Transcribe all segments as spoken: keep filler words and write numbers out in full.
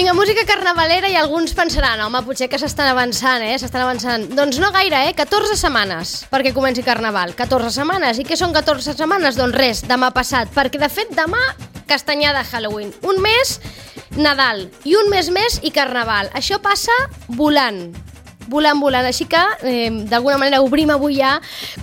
Vinga, música carnavalera i alguns pensaran, home, potser que s'estan avançant, eh? S'estan avançant. Doncs no gaire, eh? catorze setmanes perquè comenci Carnaval. catorze setmanes. I què són catorze setmanes? Doncs res, demà passat. Perquè, de fet, demà castanyada Halloween. Un mes Nadal i un mes més i Carnaval. Això passa volant. volant, volant, així que eh, d'alguna manera obrim avui ja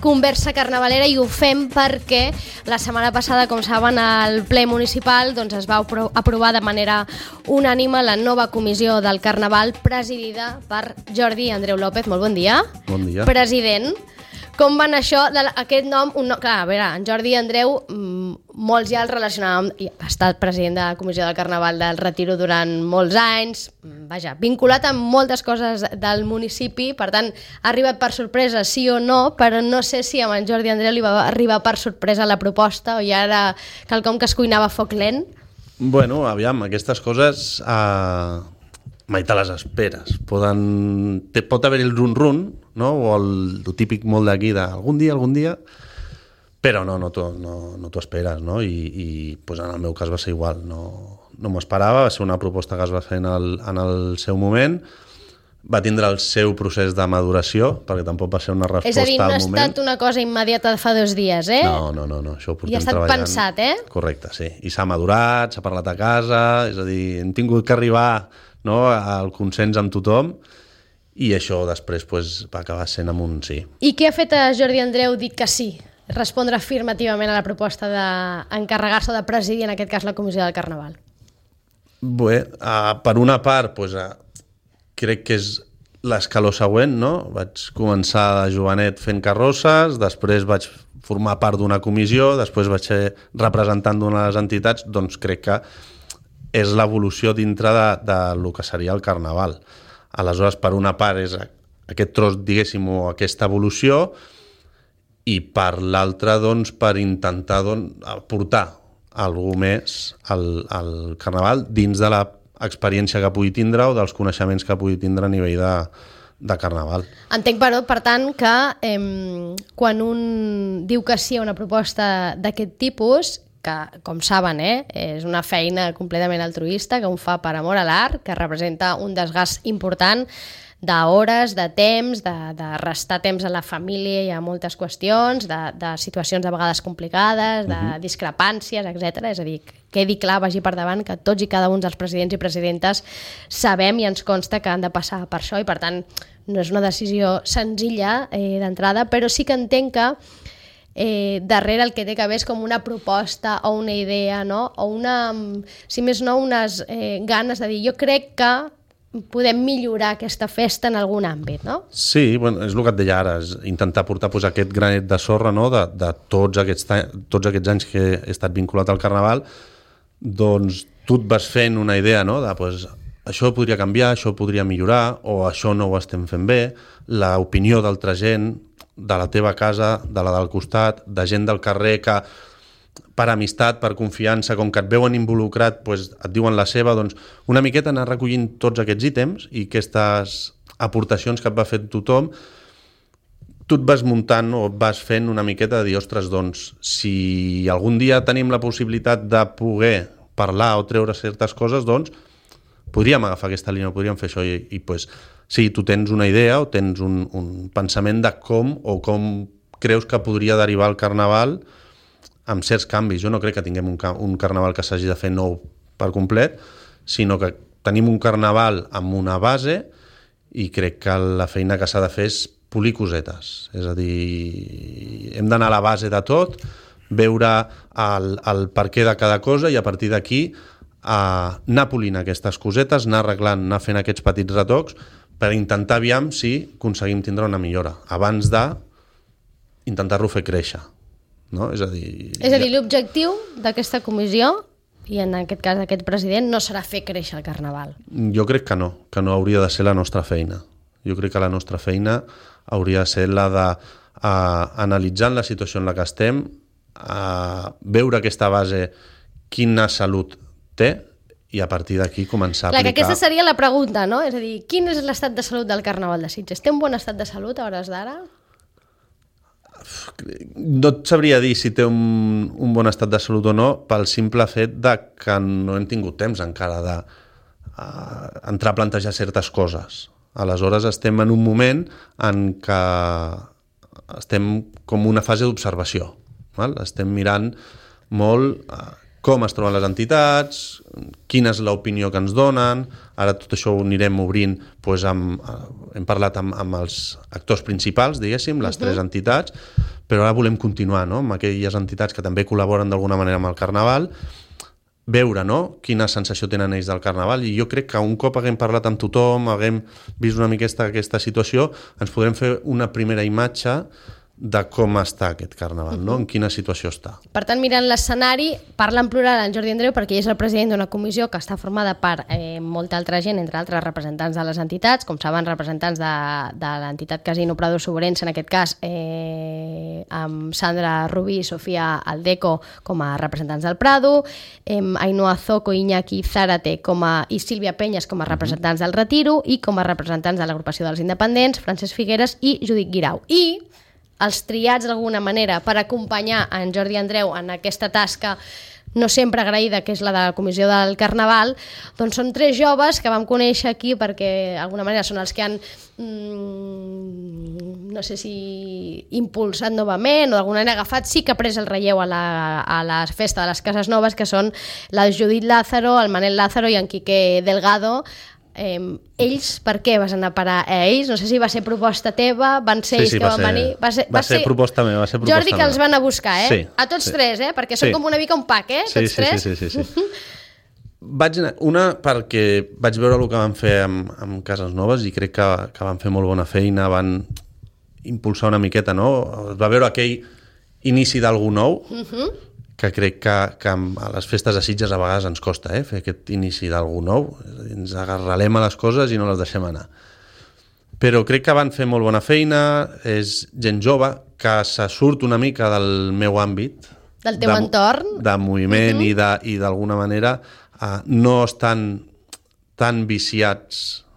conversa carnavalera i ho fem perquè la setmana passada, com saben, al ple municipal doncs, es va apro- aprovar de manera unànime la nova comissió del Carnaval presidida per Jordi Andreu López. Molt bon dia. Bon dia. President. Com va anar això, de la, aquest nom? Un, no, clar, a veure, en Jordi Andreu, mmm, molts ja el relacionàvem, ha estat president de la Comissió del Carnaval del Retiro durant molts anys, vaja, vinculat amb moltes coses del municipi, per tant, ha arribat per sorpresa, sí o no, però no sé si amb en Jordi Andreu li va arribar per sorpresa la proposta o ja era quelcom que es cuinava a foc lent. Bueno, aviam, aquestes coses eh, mai te les esperes. Poden, te, pot haver el run-run, no? O el, el típic molt d'aquí de algun dia, algun dia, però no, no t'ho no, no t'ho esperes, no? I, i pues en el meu cas va ser igual, no, no m'ho esperava, va ser una proposta que es va fer en el, en el seu moment, va tindre el seu procés de maduració, perquè tampoc va ser una resposta al moment. És a dir, no ha estat una cosa immediata de fa dos dies, eh? No, no, no, no. Això ho portem I ha estat treballant. pensat, eh? Correcte, sí. I s'ha madurat, s'ha parlat a casa, és a dir, hem tingut que arribar, no, al consens amb tothom, i això després pues, va acabar sent amb un sí. I què ha fet a Jordi Andreu dir que sí? Respondre afirmativament a la proposta d'encarregar-se o de presidir, en aquest cas, la Comissió del Carnaval? Bé, uh, per una part, pues, uh, crec que és l'escaló següent, no? Vaig començar de jovenet fent carrosses, després vaig formar part d'una comissió, després vaig ser representant d'una de les entitats, doncs crec que és l'evolució dintre de, de lo que seria el Carnaval. Aleshores, per una part és aquest tros, diguéssim, o aquesta evolució, i per l'altra, doncs, per intentar doncs, aportar alguna més al, al Carnaval dins de l'experiència que pugui tindre o dels coneixements que pugui tindre a nivell de, de Carnaval. Entenc, però, per tant, que eh, quan un diu que sí a una proposta d'aquest tipus, que, com saben, eh, és una feina completament altruista, que un fa per amor a l'art, que representa un desgast important d'hores, de temps, de, de restar temps a la família i a moltes qüestions, de, de situacions de vegades complicades, de uh-huh. discrepàncies, etcètera. És a dir, quedi clar, vagi per davant, que tots i cada un dels presidents i presidentes sabem i ens consta que han de passar per això i, per tant, no és una decisió senzilla eh, d'entrada, però sí que entenc que Eh, darrere el que té que haver és com una proposta o una idea, no? O una, si més no, unes eh, ganes de dir, jo crec que podem millorar aquesta festa en algun àmbit, no? Sí, bueno, és el que et deia ara, és intentar portar pues, aquest granet de sorra, no? de, de tots, aquests, tots aquests anys que he estat vinculat al Carnaval, doncs tu et vas fent una idea, no? de pues, això podria canviar, això podria millorar, o això no ho estem fent bé, l'opinió d'altra gent, de la teva casa, de la del costat, de gent del carrer que per amistat, per confiança, com que et veuen involucrat, doncs et diuen la seva, doncs una miqueta anar recollint tots aquests ítems i aquestes aportacions que et va fer tothom, tu et vas muntant o et vas fent una miqueta de dir, ostres, doncs, si algun dia tenim la possibilitat de poder parlar o treure certes coses, doncs podríem agafar aquesta línia, podríem fer això i, i pues, sí, tu tens una idea o tens un, un pensament de com o com creus que podria derivar el Carnaval amb certs canvis. Jo no crec que tinguem un, un Carnaval que s'hagi de fer nou per complet, sinó que tenim un Carnaval amb una base i crec que la feina que s'ha de fer és polir cosetes. És a dir, hem d'anar a la base de tot, veure el, el per què de cada cosa i a partir d'aquí a anar polint aquestes cosetes, anar arreglant, anar fent aquests petits retocs per intentar aviam si aconseguim tindre una millora, abans de intentar-lo fer créixer. No? És a dir, és a dir, l'objectiu d'aquesta comissió, i en aquest cas d'aquest president, no serà fer créixer el Carnaval. Jo crec que no, que no hauria de ser la nostra feina. Jo crec que la nostra feina hauria de ser la de uh, analitzant la situació en la que estem, uh, veure aquesta base, quina salut té, i a partir d'aquí començar a Clar, aplicar... que aquesta seria la pregunta, no? És a dir, quin és l'estat de salut del Carnaval de Sitges? Té un bon estat de salut a hores d'ara? No et sabria dir si té un, un bon estat de salut o no, pel simple fet de que no hem tingut temps encara de uh, entrar a plantejar certes coses. Aleshores estem en un moment en què estem com una fase d'observació. Val? Estem mirant molt uh, com es troben les entitats, quina és l'opinió que ens donen, ara tot això ho anirem obrint, doncs amb, hem parlat amb, amb els actors principals, diguéssim, les uh-huh. tres entitats, però ara volem continuar, no?, amb aquelles entitats que també col·laboren d'alguna manera amb el Carnaval, veure, no?, quina sensació tenen ells del Carnaval, i jo crec que un cop haguem parlat amb tothom, haguem vist una mica aquesta, aquesta situació, ens podrem fer una primera imatge de com està aquest Carnaval, no? En quina situació està. Per tant, mirant l'escenari, parla en plural en Jordi Andreu perquè ell és el president d'una comissió que està formada per eh, molta altra gent, entre altres representants de les entitats, com saben, representants de, de l'entitat Casino Prado Sobrense, en aquest cas, eh, amb Sandra Rubí i Sofia Aldeco com a representants del Prado, eh, Ainhoa Zoco, Iñaki Zárate com a, i Sílvia Penyes com a representants del Retiro i com a representants de l'agrupació dels independents, Francesc Figueres i Judit Guirau. I els triats d'alguna manera per acompanyar en Jordi Andreu en aquesta tasca no sempre agraïda, que és la de la Comissió del Carnaval, doncs són tres joves que vam conèixer aquí perquè d'alguna manera són els que han mmm, no sé si impulsat novament o d'alguna manera agafat, sí que ha pres el relleu a la, a la festa de les Cases Noves, que són la Judit Lázaro, el Manel Lázaro i en Quique Delgado. Eh, ells, per què vas anar a parar a ells? No sé si va ser proposta teva, van ser sí, ells sí, que va van ser, venir... Va ser, va va ser, ser proposta meva, va ser proposta Jordi que els van a buscar, eh? Sí, a tots sí. tres, eh? Perquè són sí. com una mica un pack, eh? Sí, Tots sí, tres. sí, sí, sí, sí. Vaig anar, una perquè vaig veure el que van fer amb, amb Cases Noves i crec que, que van fer molt bona feina, van impulsar una miqueta, no? Es va veure aquell inici d'algú nou, uh-huh. que crec que, que a les festes de Sitges a vegades ens costa, eh, fer aquest inici d'algú nou, ens agarralem a les coses i no les deixem anar. Però crec que van fer molt bona feina, és gent jove, que se surt una mica del meu àmbit. Del teu de, entorn. De moviment uh-huh. i de, i d'alguna manera uh, no estan tan viciats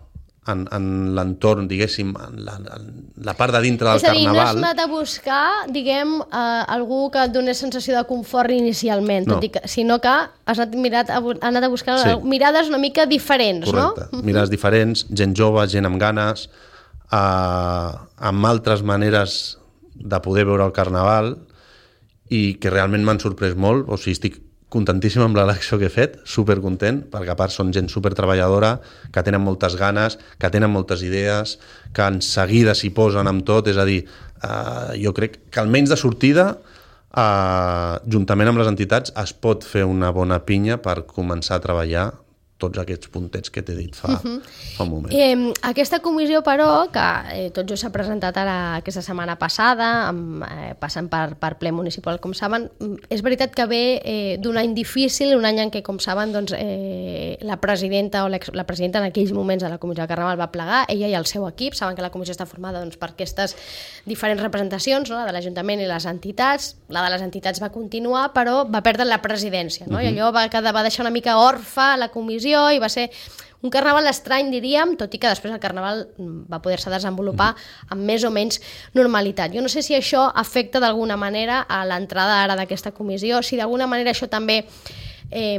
en, en l'entorn, diguéssim, en la, en la part de dintre del Carnaval. És a dir, Carnaval. no has anat a buscar, diguem, eh, algú que et donés sensació de confort inicialment, no. tot i que, sinó que has anat, mirat, has anat a buscar sí. mirades una mica diferents, correcte. No? Mirades diferents, gent jove, gent amb ganes, eh, amb altres maneres de poder veure el Carnaval i que realment m'han sorprès molt, o sigui, estic contentíssim amb l'elecció que he fet, supercontent, perquè a part són gent supertreballadora, que tenen moltes ganes, que tenen moltes idees, que en seguida s'hi posen amb tot, és a dir, eh, jo crec que almenys de sortida, eh, juntament amb les entitats, es pot fer una bona pinya per començar a treballar tots aquests puntets que t'he dit fa, uh-huh. fa un moment. Eh, aquesta comissió, però, que eh, tot just s'ha presentat ara aquesta setmana passada, amb, eh, passant per, per ple municipal, com saben, és veritat que ve eh, d'un any difícil, un any en què, com saben, doncs, eh, la presidenta o la presidenta en aquells moments de la Comissió de Carnaval va plegar, ella i el seu equip, saben que la comissió està formada doncs, per aquestes diferents representacions, no? La de l'Ajuntament i les entitats, la de les entitats va continuar, però va perdre la presidència, no? Uh-huh. I allò va, quedar, va deixar una mica orfa la comissió i va ser un Carnaval estrany, diríem, tot i que després el Carnaval va poder-se desenvolupar amb més o menys normalitat. Jo no sé si això afecta d'alguna manera a l'entrada ara d'aquesta comissió, si d'alguna manera això també eh,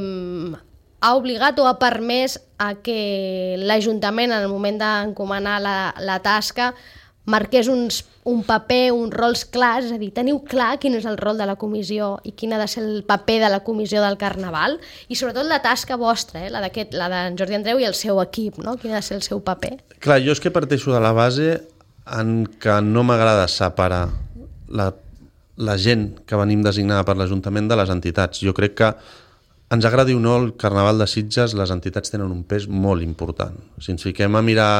ha obligat o ha permès a que l'Ajuntament, en el moment d'encomanar la, la tasca, marqués uns, un paper, uns rols clars, és a dir, teniu clar quin és el rol de la comissió i quin ha de ser el paper de la comissió del Carnaval i sobretot la tasca vostra, eh, la d'en Jordi Andreu i el seu equip, no? Quin ha de ser el seu paper? Clar, jo és que parteixo de la base en què no m'agrada separar la, la gent que venim designada per l'Ajuntament de les entitats. Jo crec que ens agradi o no el Carnaval de Sitges, les entitats tenen un pes molt important. Si ens fiquem a mirar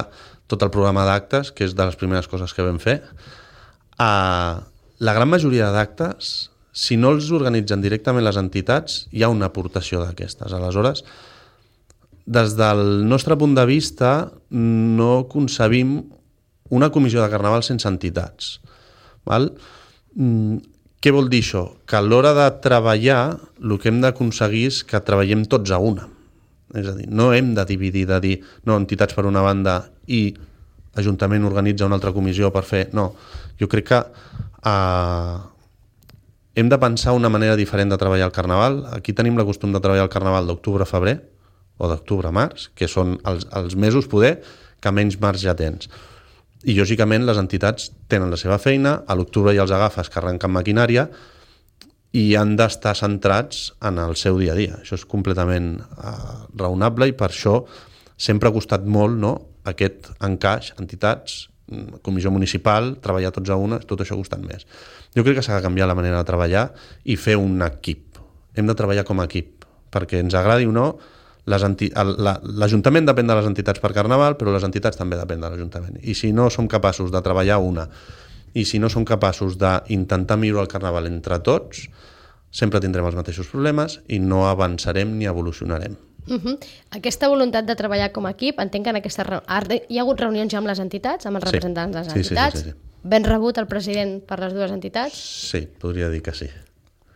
tot el programa d'actes, que és de les primeres coses que vam fer, eh, la gran majoria d'actes, si no els organitzen directament les entitats, hi ha una aportació d'aquestes. Aleshores, des del nostre punt de vista, no concebim una comissió de Carnaval sense entitats. Val? Mm, què vol dir això? Que a l'hora de treballar, el que hem d'aconseguir és que treballem tots a una. És a dir, no hem de dividir, de dir, no, entitats per una banda i l'Ajuntament organitza una altra comissió per fer... No, jo crec que eh, hem de pensar una manera diferent de treballar el Carnaval. Aquí tenim la costum de treballar el Carnaval d'octubre a febrer, o d'octubre a març, que són els, els mesos poder que menys marge tens. I, lògicament, les entitats tenen la seva feina, a l'octubre ja els agafes que arrenquen maquinària i han d'estar centrats en el seu dia a dia. Això és completament uh, raonable i per això sempre ha costat molt, no?, aquest encaix, entitats, comissió municipal, treballar tots a una, tot això ha costat més. Jo crec que s'ha de canviar la manera de treballar i fer un equip. Hem de treballar com a equip, perquè ens agradi o no, l'Ajuntament depèn de les entitats per Carnaval, però les entitats també depèn de l'Ajuntament. I si no som capaços de treballar una, i si no som capaços d'intentar millorar el Carnaval entre tots, sempre tindrem els mateixos problemes i no avançarem ni evolucionarem. Uh-huh. Aquesta voluntat de treballar com a equip, entenc que en aquesta re... hi ha hagut reunions ja amb les entitats, amb els sí. representants de les sí, entitats. Sí, sí, sí, sí. Ben rebut el president per les dues entitats? Sí, podria dir que sí.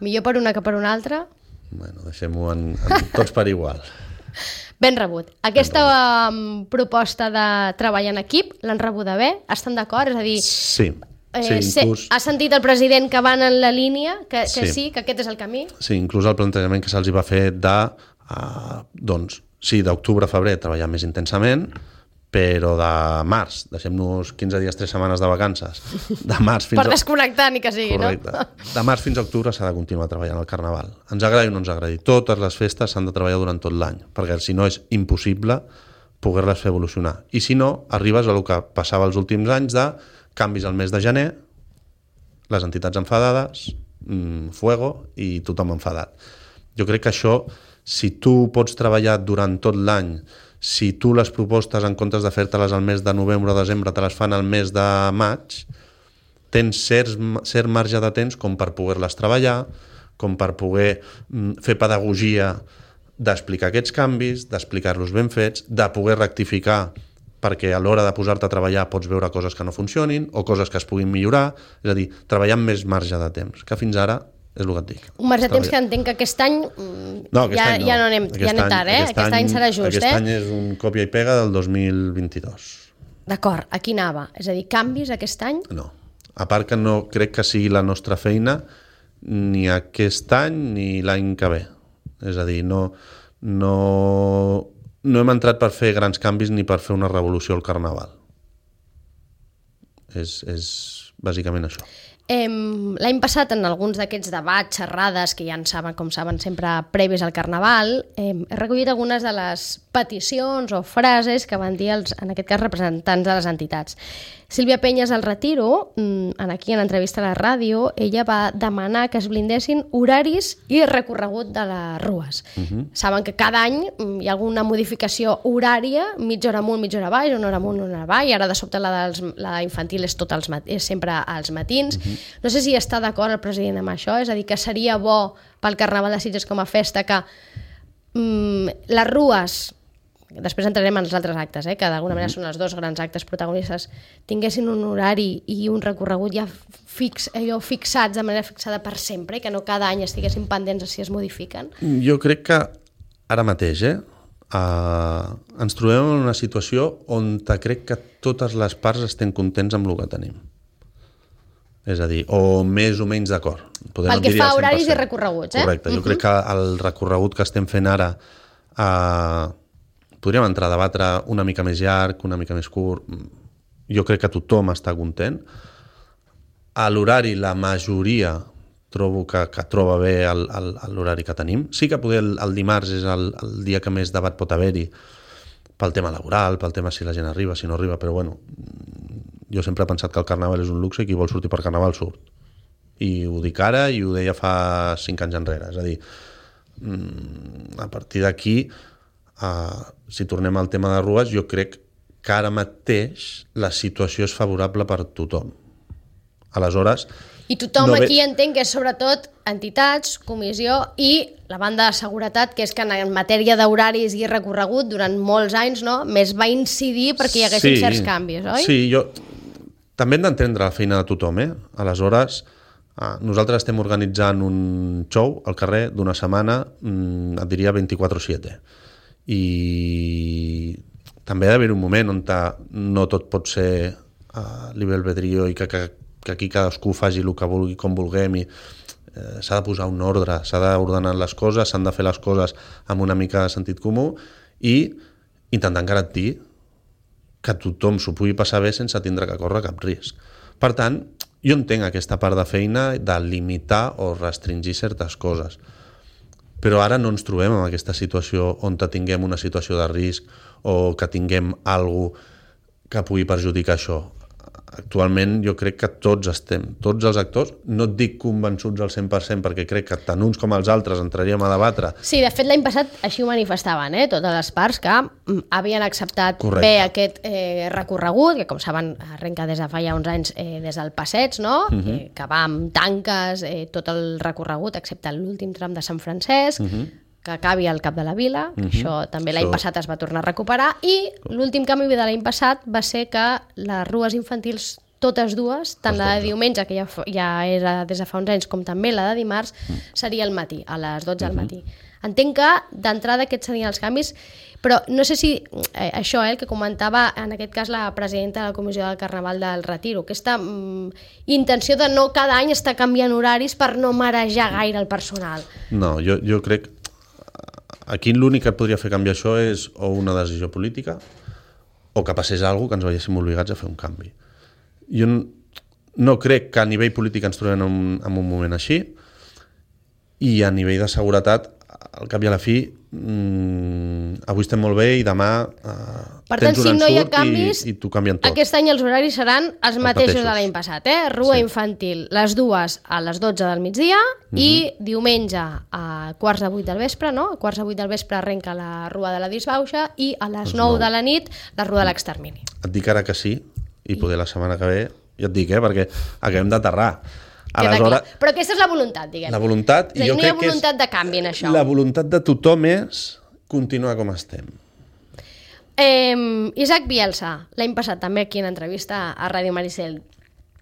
Millor per una que per una altra? Bueno, deixem-ho en, en tots per igual. Ben rebut. Aquesta ben rebut. Um, proposta de treballar en equip, l'han rebuda bé? Estan d'acord? És a dir... Sí. Eh, sí, inclús... Ha sentit el president que van en la línia, que, que sí. sí, que aquest és el camí? Sí, inclús el plantejament que se'ls va fer de, uh, doncs, sí, d'octubre a febrer treballar més intensament, però de març, deixem-nos quinze dies, tres setmanes de vacances, de març fins per desconnectar ni que sigui, correcte. No? De març fins a octubre s'ha de continuar treballant el Carnaval. Ens agradi o no ens agradi. Totes les festes s'han de treballar durant tot l'any, perquè si no és impossible poder-les fer evolucionar. I si no, arribes a el que passava els últims anys de canvis al mes de gener, les entitats enfadades, mmm, fuego, i tothom enfadat. Jo crec que això, si tu pots treballar durant tot l'any, si tu les propostes, en comptes de fer-te-les al mes de novembre o desembre, te les fan al mes de maig, tens cert, cert marge de temps com per poder-les treballar, com per poder mm, fer pedagogia d'explicar aquests canvis, d'explicar-los ben fets, de poder rectificar perquè a l'hora de posar-te a treballar pots veure coses que no funcionin o coses que es puguin millorar, és a dir, treballar amb més marge de temps, que fins ara és el que et dic. Un marge de temps que entenc que aquest any no, aquest ja, any no. ja no anem, ja anem tard, eh? Aquest, aquest any, any serà just, aquest eh? Aquest any és un còpia i pega del dos mil vint-i-dos. D'acord, aquí anava. És a dir, canvis aquest any? No. A part que no crec que sigui la nostra feina ni aquest any ni l'any que ve. És a dir, no... no No hem entrat per fer grans canvis ni per fer una revolució al Carnaval. És, és bàsicament això. Eh, L'any passat, en alguns d'aquests debats, xerrades, que ja en saben, com saben, sempre previs al Carnaval, eh, he recollit algunes de les peticions o frases que van dir els, en aquest cas, representants de les entitats. Sílvia Penyes al Retiro, aquí en l'entrevista a la ràdio, ella va demanar que es blindessin horaris i recorregut de les rues. Uh-huh. Saben que cada any hi ha alguna modificació horària, mitja hora amunt, mitja hora baix, una hora amunt, una hora baix, i ara de sobte la, dels, la infantil és, tot als mat- és sempre als matins. Uh-huh. No sé si està d'acord el president amb això, és a dir, que seria bo pel Carnaval de Sitges com a festa que mm, les rues... Després entrarem en els altres actes, eh, que d'alguna manera són els dos grans actes protagonistes, tinguessin un horari i un recorregut ja fix, allò, fixats de manera fixada per sempre, que no cada any estiguessin pendents si es modifiquen? Jo crec que ara mateix eh, uh, ens trobem en una situació on crec que totes les parts estem contents amb el que tenim. És a dir, o més o menys d'acord. Pel que fa a horaris i recorreguts, eh? Correcte, jo uh-huh. crec que el recorregut que estem fent ara... Uh, podríem entrar a debatre una mica més llarg, una mica més curt. Jo crec que tothom està content. A l'horari, la majoria trobo que, que troba bé l'horari que tenim. Sí que poder el, el dimarts és el, el dia que més debat pot haver-hi pel tema laboral, pel tema si la gent arriba, si no arriba, però bueno, jo sempre he pensat que el Carnaval és un luxe i qui vol sortir per Carnaval surt. I ho dic ara i ho deia fa cinc anys enrere. És a dir, a partir d'aquí, Uh, si tornem al tema de rues, jo crec que ara mateix la situació és favorable per tothom. Aleshores... I tothom no aquí ve... entenc que és sobretot entitats, comissió i la banda de seguretat, que és que en matèria d'horaris i recorregut durant molts anys, no, més va incidir perquè hi haguessin sí, certs canvis, oi? Sí, jo... també hem d'entendre la feina de tothom, eh? Aleshores, uh, nosaltres estem organitzant un show al carrer d'una setmana, mm, et diria vint-i-quatre set. I també ha d'haver un moment on no tot pot ser a libre albedrío i que, que, que aquí cadascú faci el que vulgui, com vulguem, i eh, s'ha de posar un ordre, s'ha d'ordenar les coses, s'han de fer les coses amb una mica de sentit comú i intentant garantir que tothom s'ho pugui passar bé sense tindre que córrer cap risc. Per tant, jo entenc aquesta part de feina de limitar o restringir certes coses. Però ara no ens trobem en aquesta situació on tinguem una situació de risc o que tinguem alguna cosa que pugui perjudicar això. Actualment jo crec que tots estem, tots els actors, no et dic convençuts al cent per cent perquè crec que tant uns com els altres entraríem a debatre. Sí, de fet l'any passat així ho manifestaven, eh? Totes les parts que havien acceptat Correcte. bé aquest eh, recorregut, que com saben arrenca des de fa ja uns anys eh, des del passeig, no? Uh-huh. eh, que va amb tanques eh, tot el recorregut, excepte l'últim tram de Sant Francesc, uh-huh. que acabi al cap de la vila, que uh-huh. això també l'any so... passat es va tornar a recuperar, i l'últim canvi de l'any passat va ser que les rues infantils, totes dues, tant la de diumenge, que ja, ja era des de fa uns anys, com també la de dimarts, uh-huh. seria al matí, a les dotze uh-huh. del matí. Entenc que d'entrada aquests serien els canvis, però no sé si eh, això, eh, el que comentava en aquest cas la presidenta de la Comissió del Carnaval del Retiro, aquesta mm, intenció de no cada any estar canviant horaris per no marejar gaire el personal. No, jo, jo crec aquí l'únic que et podria fer canviar això és o una decisió política o que passés alguna cosa que ens veiéssim obligats a fer un canvi. Jo no crec que a nivell polític ens trobem en un, en un moment així, i a nivell de seguretat, al cap i a la fi, mmm, avui estem molt bé i demà eh, per tant, tens un si no hi ha ensurt canvis, i, i t'ho canvien tot. Aquest any els horaris seran els, els mateixos, mateixos de l'any passat. Eh? Rua sí. infantil, les dues a les dotze del migdia uh-huh. i diumenge a quarts de vuit del vespre, no? A quarts de vuit del vespre arrenca la Rua de la Disbauxa i a les nou de la nit la Rua de l'Extermini. Et dic ara que sí, i poder la setmana que ve, ja et dic, eh, perquè acabem d'aterrar. Aleshores, però aquesta és la voluntat, diguem. La voluntat, i jo no crec hi ha voluntat de canvi en això. La voluntat de tothom és continuar com estem. Eh, Isaac Bielsa, l'any passat també aquí en entrevista a Ràdio Maricel,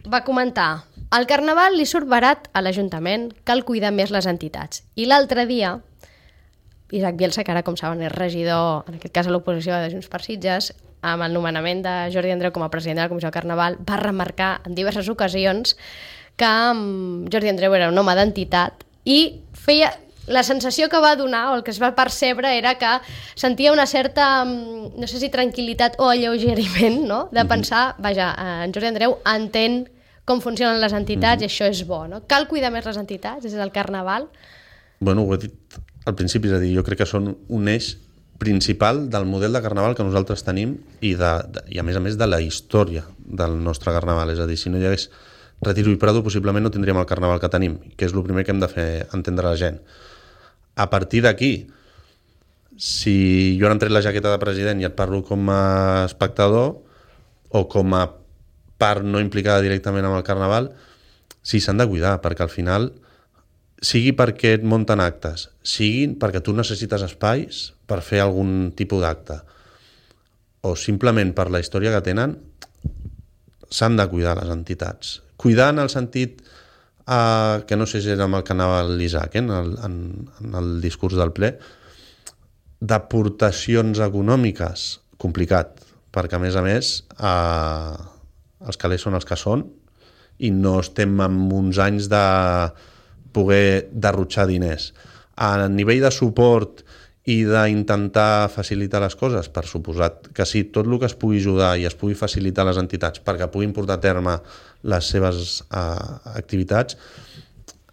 va comentar: al Carnaval li surt barat a l'Ajuntament, cal cuidar més les entitats. I l'altre dia, Isaac Bielsa, que ara com saben és regidor, en aquest cas a l'oposició de Junts per Sitges, amb el nomenament de Jordi Andreu com a president de la Comissió del Carnaval, va remarcar en diverses ocasions que Jordi Andreu era un home d'entitat i feia... La sensació que va donar, o el que es va percebre, era que sentia una certa, no sé si tranquil·litat o alleugeriment, no? De pensar, vaja, en Jordi Andreu entén com funcionen les entitats mm-hmm. i això és bo, no? Cal cuidar més les entitats des del Carnaval? Bueno, ho he dit al principi, és a dir, jo crec que són un eix principal del model de Carnaval que nosaltres tenim i, de, de, i a més a més de la història del nostre Carnaval, és a dir, si no hi hagués Retiro i Prado possiblement no tindríem el Carnaval que tenim, que és el primer que hem de fer entendre a la gent. A partir d'aquí, si jo ara em tret la jaqueta de president i et parlo com a espectador o com a part no implicada directament amb el Carnaval, sí, s'han de cuidar, perquè al final, sigui perquè et munten actes, sigui perquè tu necessites espais per fer algun tipus d'acte, o simplement per la història que tenen, s'han de cuidar les entitats. Cuidar en el sentit Uh, que no sé si era amb el que anava l'Isaac, eh, en, el, en, en el discurs del ple, d'aportacions econòmiques, complicat, perquè a més a més uh, els calés són els que són i no estem en uns anys de poder derrotxar diners. A nivell de suport i d'intentar facilitar les coses, per suposat que sí, tot el que es pugui ajudar i es pugui facilitar a les entitats perquè puguin portar a terme les seves uh, activitats,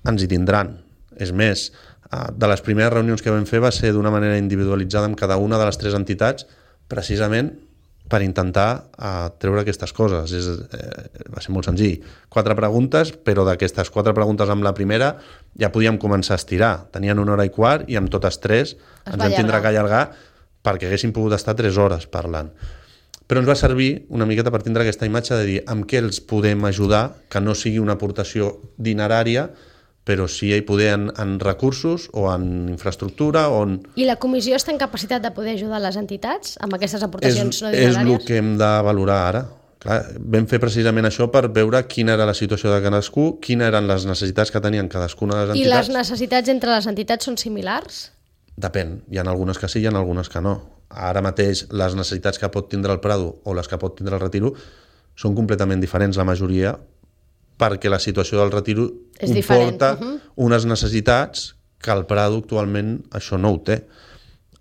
ens hi tindran. És més, uh, de les primeres reunions que vam fer va ser d'una manera individualitzada amb cada una de les tres entitats, precisament per intentar uh, treure aquestes coses. És, eh, va ser molt senzill. Quatre preguntes, però d'aquestes quatre preguntes amb la primera ja podíem començar a estirar. Tenien una hora i quart i amb totes tres ens vam tindre que allargar perquè haguéssim pogut estar tres hores parlant. Però ens va servir una miqueta per tindre aquesta imatge de dir amb què els podem ajudar, que no sigui una aportació dinerària, però sí hi poder en, en recursos o en infraestructura. O en... I la comissió està en capacitat de poder ajudar les entitats amb aquestes aportacions és, no dineràries? És el que hem de valorar ara. Clar, vam fer precisament això per veure quina era la situació de cadascú, quines eren les necessitats que tenien cadascuna de les entitats. I les necessitats entre les entitats són similars? Depèn. Hi ha algunes que sí, hi ha algunes que no. Ara mateix les necessitats que pot tindre el Prado o les que pot tindre el Retiro són completament diferents, la majoria, perquè la situació del Retiro és comporta uh-huh. unes necessitats que el Prado actualment això no ho té.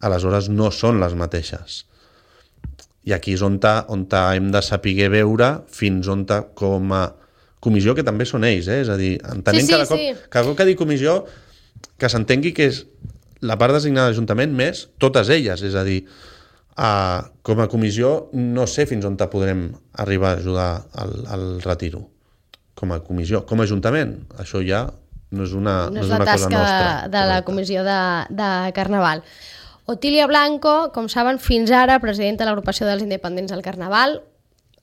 aleshores no són les mateixes. I aquí és on, ta, on ta hem de saber veure fins on ta, com a comissió, que també són ells, eh? És a dir, entenent sí, sí, cada cop, sí. cada cop que dic comissió, que s'entengui que és la part designada de l'Ajuntament més totes elles, és a dir, uh, com a comissió no sé fins on te podrem arribar a ajudar al, al retiro. Com a comissió, com a Ajuntament, això ja no és una, no no és és la una cosa tasca nostra. de, de la comissió de, de Carnaval. Otília Blanco, com saben, fins ara presidenta de l'agrupació dels independents del Carnaval.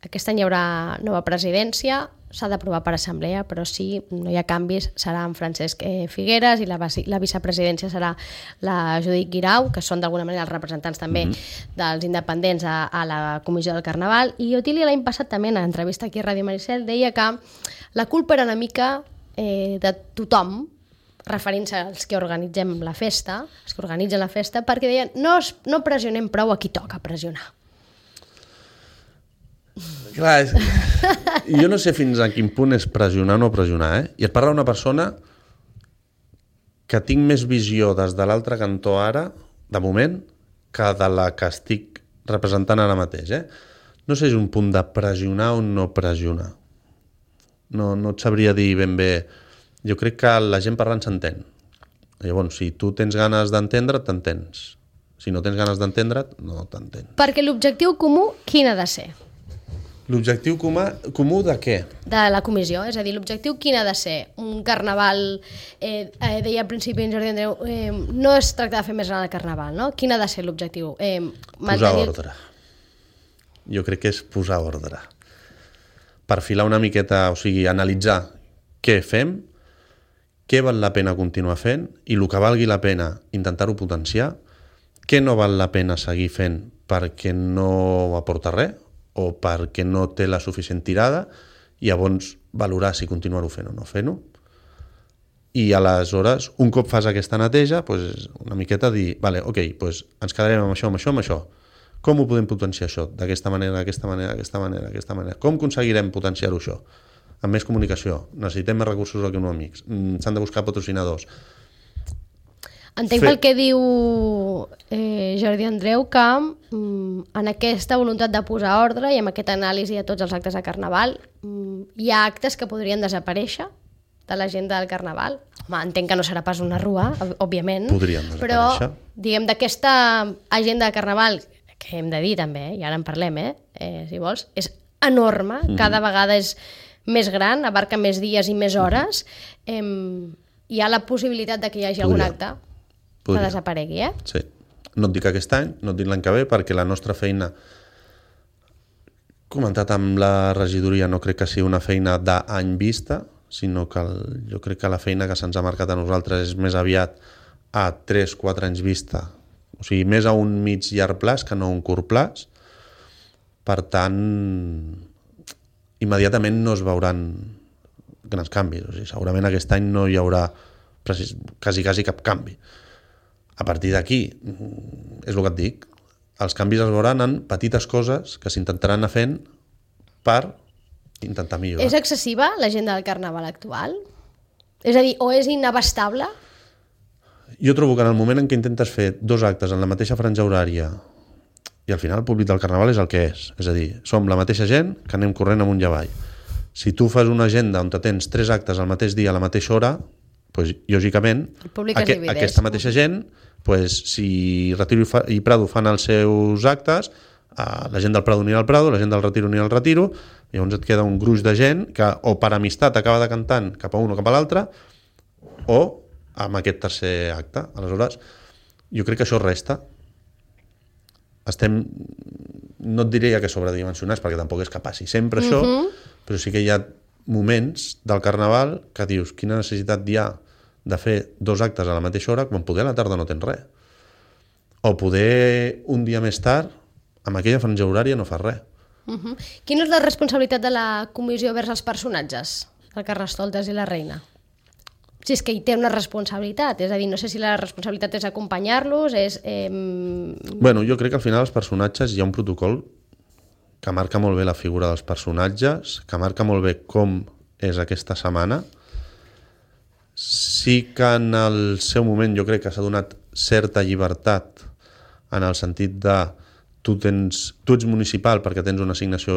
Aquest any hi haurà nova presidència, s'ha d'aprovar per assemblea, però si no hi ha canvis serà en Francesc Figueres i la, la vicepresidència serà la Judit Guirau, que són d'alguna manera els representants també mm-hmm. dels independents a, a la comissió del Carnaval. I Otília l'any passat també en l'entrevista aquí a Ràdio Maricel deia que la culpa era una mica eh, de tothom, referint-se als que organitzem la festa, els que organitzen la festa, perquè deien no, no pressionem prou a qui toca pressionar. Clar, és... jo no sé fins a quin punt és pressionar o no pressionar, eh? I et parla una persona que tinc més visió des de l'altre cantó ara, de moment, que de la que estic representant ara mateix, eh? No sé si és un punt de pressionar o no pressionar. No, no et sabria dir ben bé. Jo crec que la gent parlant s'entén. Llavors, si tu tens ganes d'entendre't, t'entens. Si no tens ganes d'entendre't, no t'entens. Perquè l'objectiu comú, quin ha de ser? L'objectiu comú, comú de què? De la comissió, és a dir, l'objectiu quin ha de ser? Un carnaval, eh, eh, deia al principi en Jordi Andreu, eh, no es tracta de fer més gran el carnaval, no? Quin ha de ser l'objectiu? Eh, mantenir... Posar ordre. Jo crec que és posar ordre. Perfilar una miqueta, o sigui, analitzar què fem, què val la pena continuar fent i el que valgui la pena intentar-ho potenciar, què no val la pena seguir fent perquè no aporta res o perquè no té la suficient tirada i llavors valorar si continuar-ho fent o no fent-ho. I aleshores, un cop fas aquesta neteja, doncs una miqueta dir, vale, ok, doncs ens quedarem amb això, amb això, amb això. Com ho podem potenciar això? D'aquesta manera, d'aquesta manera, d'aquesta manera, d'aquesta manera. Com aconseguirem potenciar-ho això? Amb més comunicació. Necessitem més recursos econòmics. S'han de buscar patrocinadors. Entenc pel que diu eh, Jordi Andreu que mm, en aquesta voluntat de posar ordre i amb aquesta anàlisi de tots els actes de Carnaval mm, hi ha actes que podrien desaparèixer de l'agenda del Carnaval. Home, entenc que no serà pas una rua, òbviament, podrien desaparèixer. Però diguem d'aquesta agenda de Carnaval, que hem de dir també, i ara en parlem, eh, eh, si vols, és enorme, mm. cada vegada és més gran, abarca més dies i més hores, eh, hi ha la possibilitat de que hi hagi Podria. algun acte Podria. que desaparegui, eh? Sí. No et dic aquest any, no et dic l'any que ve, perquè la nostra feina, comentat amb la regidoria, no crec que sigui una feina d'any vista, sinó que el, jo crec que la feina que se'ns ha marcat a nosaltres és més aviat a tres quatre anys vista, o sigui, més a un mig llarg plaç que no a un curt plaç. Per tant, immediatament no es veuran grans canvis. O sigui, segurament aquest any no hi haurà precis, quasi, quasi cap canvi. A partir d'aquí, és el que et dic, els canvis es veuran en petites coses que s'intentaran anar fent per intentar millorar. És excessiva l'agenda del Carnaval actual? És a dir, o és inabastable? Jo trobo que en el moment en què intentes fer dos actes en la mateixa franja horària i al final el públic del Carnaval és el que és. És a dir, som la mateixa gent que anem corrent amunt i avall. Si tu fas una agenda on tens tres actes al mateix dia a la mateixa hora, doncs, lògicament, aqu aquesta mateixa gent, doncs, si Retiro i Prado fan els seus actes, la gent del Prado anirà al Prado, la gent del Retiro anirà al Retiro, llavors et queda un gruix de gent que o per amistat acaba decantant cap a un o cap a l'altre, o amb aquest tercer acte. Aleshores, jo crec que això resta. Estem, no et diria que sobredimensionats, perquè tampoc és que passi sempre això, uh-huh. però sí que hi ha moments del Carnaval que dius, quina necessitat hi ha de fer dos actes a la mateixa hora quan poder a la tarda no tens res. O poder un dia més tard, amb aquella franja horària no fas res. Uh-huh. Quina és la responsabilitat de la comissió vers els personatges, el Carnestoltes i la Reina? Si és que hi té una responsabilitat, és a dir, no sé si la responsabilitat és acompanyar-los, és... Eh... Bueno, jo crec que al final els personatges hi ha un protocol que marca molt bé la figura dels personatges, que marca molt bé com és aquesta setmana. Sí que en el seu moment jo crec que s'ha donat certa llibertat en el sentit de tu, tens, tu ets municipal perquè tens una assignació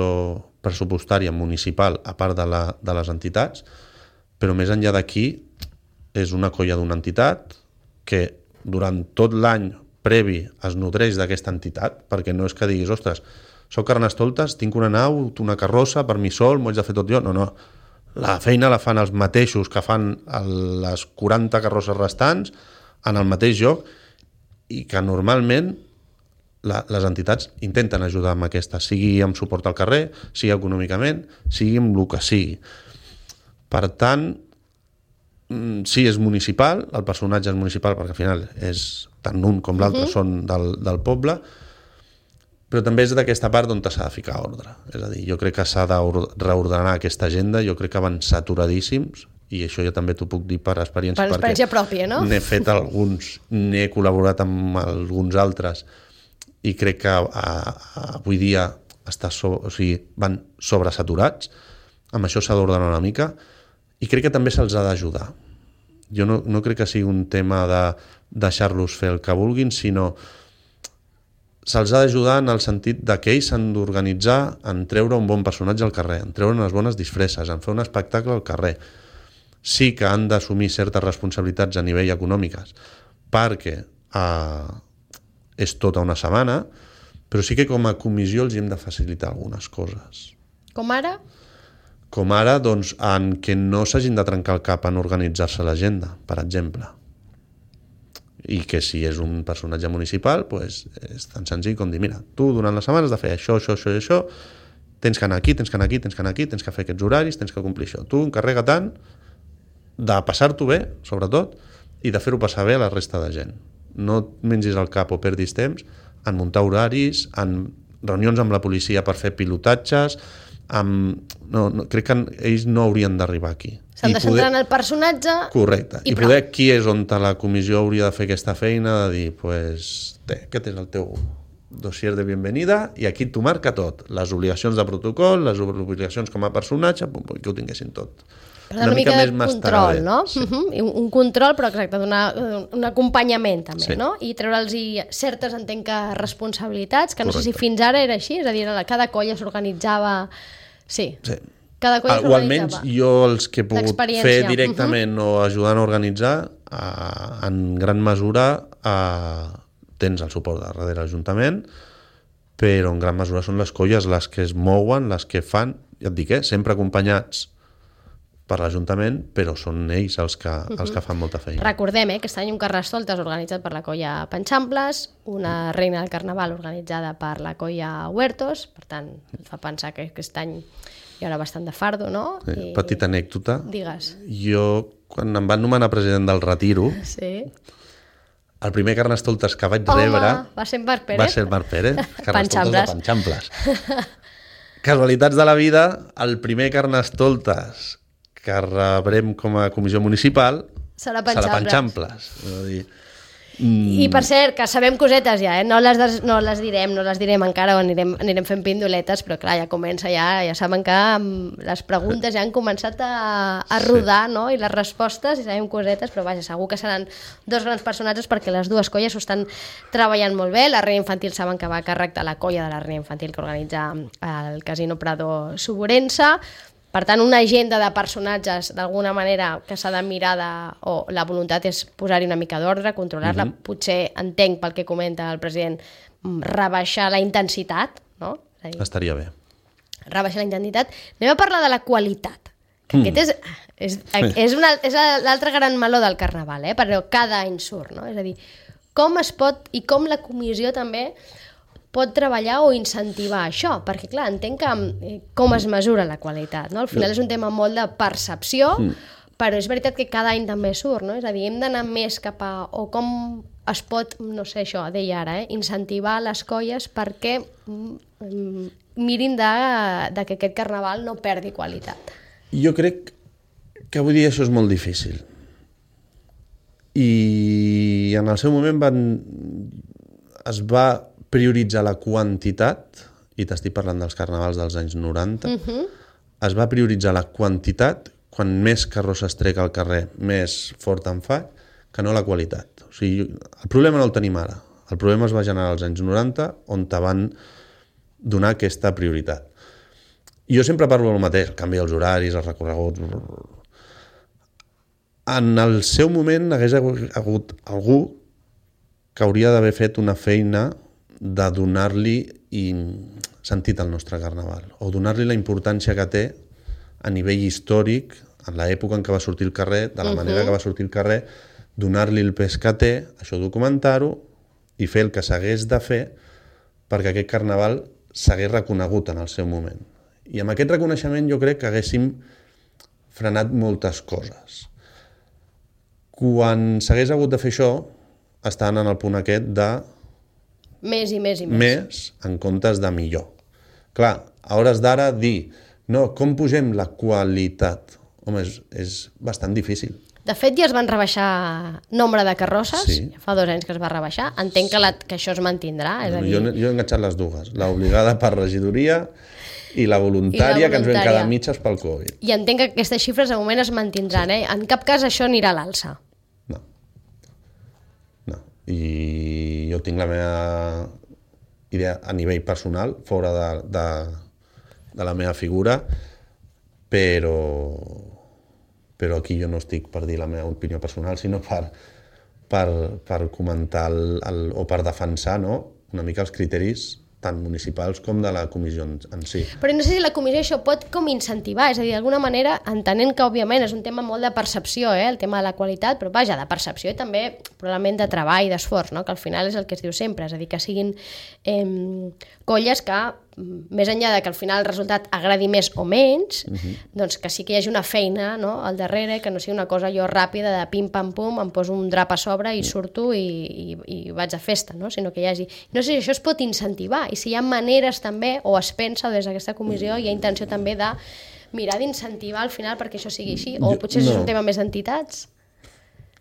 pressupostària municipal a part de, la, de les entitats, però més enllà d'aquí és una colla d'una entitat que durant tot l'any previ es nodreix d'aquesta entitat, perquè no és que diguis, ostres, soc Carnestoltes, tinc una nau, una carrossa per mi sol, m'ho haig de fer tot jo. No, no. La feina la fan els mateixos que fan les quaranta carrosses restants en el mateix lloc i que normalment la, les entitats intenten ajudar amb aquesta, sigui amb suport al carrer, sigui econòmicament, sigui amb el que sigui. Per tant, sí, és municipal, el personatge és municipal perquè al final és tant un com l'altre uh-huh. són del, del poble, però també és d'aquesta part on s'ha de ficar ordre. És a dir, jo crec que s'ha de reordenar aquesta agenda, jo crec que van saturadíssims, i això jo també t'ho puc dir per experiència, per experiència pròpia, no? N'he fet alguns, n'he col·laborat amb alguns altres, i crec que a, a, avui dia està so, o sigui, van sobresaturats, amb això s'ha d'ordenar una mica, i crec que també se'ls ha d'ajudar. Jo no, no crec que sigui un tema de deixar-los fer el que vulguin, sinó se'ls ha d'ajudar en el sentit de que ells s'han d'organitzar en treure un bon personatge al carrer, en treure unes bones disfresses, en fer un espectacle al carrer. Sí que han d'assumir certes responsabilitats a nivell econòmiques, perquè eh, és tota una setmana, però sí que com a comissió els hem de facilitar algunes coses. Com ara? Com ara, doncs, en què no s'hagin de trencar el cap en organitzar-se l'agenda, per exemple. I que si és un personatge municipal, doncs és tan senzill com dir, mira, tu durant la setmana has de fer això, això, això i això, tens que anar aquí, tens que anar aquí, tens que anar aquí, tens que fer aquests horaris, tens que complir això. Tu encarrega tant de passar-t'ho bé, sobretot, i de fer-ho passar bé a la resta de gent. No et mengis el cap o perdis temps en muntar horaris, en reunions amb la policia per fer pilotatges, amb... no, no, crec que ells no haurien d'arribar aquí. S'han de centrar en el personatge. Correcte. I, I poder aquí és on la comissió hauria de fer aquesta feina, de dir, pues, té, aquest és el teu dossier de bienvenida i aquí t'ho marca tot. Les obligacions de protocol, les obligacions com a personatge, pum, pum, que ho tinguessin tot. Una, una mica, mica de control, no? Sí. Uh-huh. Un, un control, però exacte, donar un acompanyament també, sí. No? I treure'ls certes, entenc que, responsabilitats, que no Correcte. Sé si fins ara era així, és a dir, cada colla s'organitzava... Sí. sí. Cada colla o almenys jo els que he pogut fer directament uh-huh. o ajudant a organitzar, eh, en gran mesura eh, tens el suport de darrere l'Ajuntament, però en gran mesura són les colles les que es mouen, les que fan, ja et dic, eh, sempre acompanyats per l'Ajuntament, però són ells els que, uh-huh. els que fan molta feina. Recordem, eh, que aquest any un Carnestoltes organitzat per la colla Panxamples, una reina del Carnaval organitzada per la colla Huertos, per tant, et fa pensar que aquest any hi haurà bastant de fardo, no? Sí, I... Petita anècdota. Digues. Jo, quan em van nomenar president del Retiro, sí. el primer Carnestoltes que vaig Home, rebre... va ser Marc Pérez. Va ser Marc Pérez, Carnestoltes de Panxamples. Casualitats de la vida, el primer Carnestoltes que rebrem com a comissió municipal serà Panxamples. Serà Panxamples. És a dir, mm... I per cert, que sabem cosetes ja, eh? no, les des, no les direm, no les direm encara, o anirem, anirem fent pindoletes, però clar, ja comença ja, ja saben que les preguntes ja han començat a, a rodar, sí. No? I les respostes, i sabem cosetes, però vaja, segur que seran dos grans personatges perquè les dues colles ho estan treballant molt bé. La Reina Infantil saben que va a càrrec de la colla de la Reina Infantil que organitza el Casino Prado Suburense. Per tant, una agenda de personatges, d'alguna manera, que s'ha de mirar, de, o la voluntat és posar-hi una mica d'ordre, controlar-la, mm-hmm. potser, entenc pel que comenta el president, rebaixar la intensitat, no? És dir, estaria bé. Rebaixar la intensitat. Anem a parlar de la qualitat, que mm. aquest és, és, és, una, és l'altre gran meló del Carnaval, eh? Però cada any surt, no? És a dir, com es pot, i com la comissió també pot treballar o incentivar això, perquè clar, entenc que eh, com es mesura la qualitat, no? Al final és un tema molt de percepció, mm. però és veritat que cada any també surt, no? És a dir, hem d'anar més cap a, o com es pot, no sé això, deia ara, eh, incentivar les colles perquè mm, mirin de, de que aquest Carnaval no perdi qualitat. Jo crec que avui dia això és molt difícil. I en el seu moment van, es va prioritzar la quantitat, i t'estic parlant dels carnavals dels anys noranta, uh-huh. es va prioritzar la quantitat quan més carrosses trec al carrer, més fort em fa, que no la qualitat. O sigui, el problema no el tenim ara. El problema es va generar als anys noranta, on te van donar aquesta prioritat. I jo sempre parlo del mateix, el canvi dels horaris, els recorreguts... En el seu moment hagués hagut algú que hauria d'haver fet una feina de donar-li sentit al nostre carnaval, o donar-li la importància que té a nivell històric, en l'època en què va sortir el carrer, de la manera que va sortir el carrer, donar-li el pes que té, això documentar-ho, i fer el que s'hagués de fer perquè aquest carnaval s'hagués reconegut en el seu moment. I amb aquest reconeixement jo crec que haguéssim frenat moltes coses. Quan s'hagués hagut de fer això, estan en el punt aquest de... Més i més i més. Més en comptes de millor. Clar, a hores d'ara dir, no, com pugem la qualitat? Home, és, és bastant difícil. De fet, ja es van rebaixar nombre de carrosses, sí. Fa dos anys que es va rebaixar. Entenc que, la, que això es mantindrà. És a dir... jo, jo he enganxat les dues, l'obligada per regidoria i la voluntària, I la voluntària que ens vam quedar mitges pel Covid. I entenc que aquestes xifres de moment es mantindran, sí. eh? En cap cas això anirà a l'alça. No. No. I jo tinc la meva idea a nivell personal, fora de, de, de la meva figura, però... però aquí jo no estic per dir la meva opinió personal, sinó per, per, per comentar el, el, o per defensar, no?, una mica els criteris tant municipals com de la comissió en si. Però no sé si la comissió això pot com incentivar, és a dir, d'alguna manera, entenent que òbviament és un tema molt de percepció, eh, el tema de la qualitat, però vaja, de percepció i també probablement de treball, d'esforç, no?, que al final és el que es diu sempre, és a dir, que siguin eh, colles que, més enllà de que al final el resultat agradi més o menys, uh-huh. doncs que sí que hi hagi una feina, no?, al darrere, que no sigui una cosa jo ràpida de pim-pam-pum, em poso un drap a sobre i surto i, i, i vaig a festa, no?, sinó que hi hagi... No sé si això es pot incentivar i si hi ha maneres també, o es pensa des d'aquesta comissió, hi ha intenció també de mirar d'incentivar al final perquè això sigui així, o potser no. És un tema més d'entitats.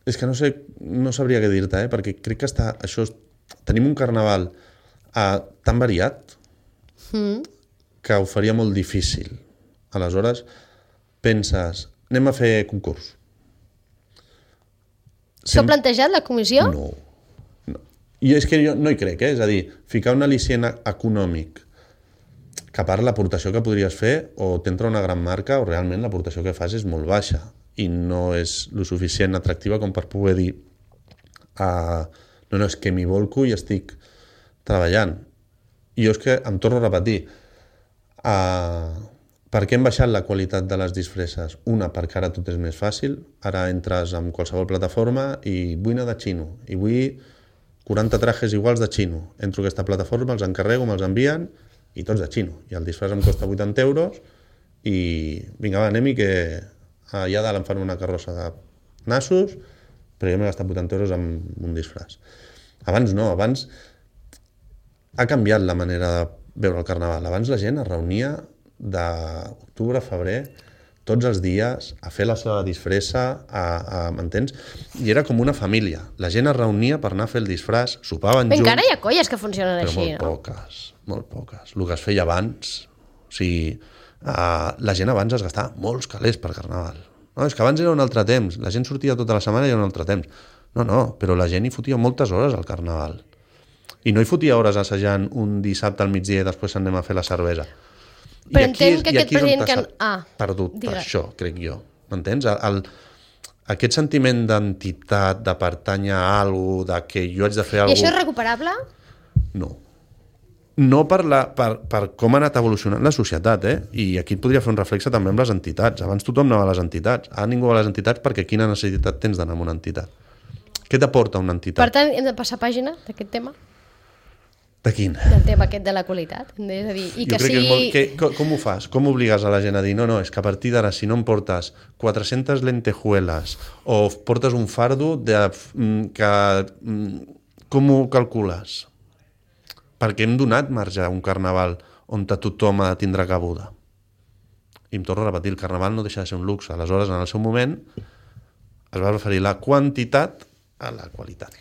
És que no sé, no sabria què dir-te, eh? Perquè crec que està, això, tenim un carnaval eh, tan variat Mm. que ho faria molt difícil. Aleshores, penses, anem a fer concurs. S'ha Sem... plantejat la comissió? No. no. I és que jo no hi crec, eh? És a dir, ficar un al·licient econòmic que a part l'aportació que podries fer o t'entra una gran marca o realment l'aportació que fas és molt baixa i no és lo suficient atractiva com per poder dir uh, no, no, és que m'hi volco i estic treballant. I jo és que em torno a repetir, uh, per què hem baixat la qualitat de les disfresses? Una, perquè ara tot és més fàcil, ara entres en qualsevol plataforma i vull anar de xino, i vull quaranta trajes iguals de xino. Entro a aquesta plataforma, els encarrego, me'ls envien, i tots de xino. I el disfress em costa vuitanta euros, i vinga, va, anem-hi, que allà dalt em fan una carrossa de nassos, però jo m'he gastat vuitanta euros en un disfress. Abans no, abans... ha canviat la manera de veure el carnaval. Abans la gent es reunia d'octubre a febrer, tots els dies, a fer la seva disfressa, a, a, m'entens? I era com una família. La gent es reunia per anar a fer el disfràs, sopaven junts... Encara hi ha colles que funcionen però així, molt no? poques, molt poques. El que es feia abans... O sigui, uh, la gent abans es gastava molts calés per carnaval. No, és que abans era un altre temps. La gent sortia tota la setmana i era un altre temps. No, no, però la gent hi fotia moltes hores al carnaval. I no hi fotia hores assajant un dissabte al migdia i després anem a fer la cervesa. Però entenc que aquest president que... Ah, perdut per això, crec jo. M'entens? El, el, aquest sentiment d'entitat, de pertànyer a alguna cosa, de que jo haig de fer alguna cosa... I això és recuperable? No. No per, la, per, per com ha anat evolucionant la societat, eh? I aquí et podria fer un reflexe també amb les entitats. Abans tothom anava a les entitats. Ara ningú va a les entitats perquè quina necessitat tens d'anar a una entitat? Què t'aporta una entitat? Per tant, hem de passar pàgina d'aquest tema? De quin? Del tema aquest de la qualitat. És a dir, i jo que crec sigui... que és molt... Que, com, com ho fas? Com obligues a la gent a dir no, no, és que a partir d'ara si no em portes quatre-centes lentejuelas o portes un fardo de, que... Com ho calcules? Perquè hem donat marge a un carnaval on tothom ha de tindre cabuda. I em torno a repetir, el carnaval no deixa de ser un luxe. Aleshores, en el seu moment, es va referir la quantitat a la qualitat.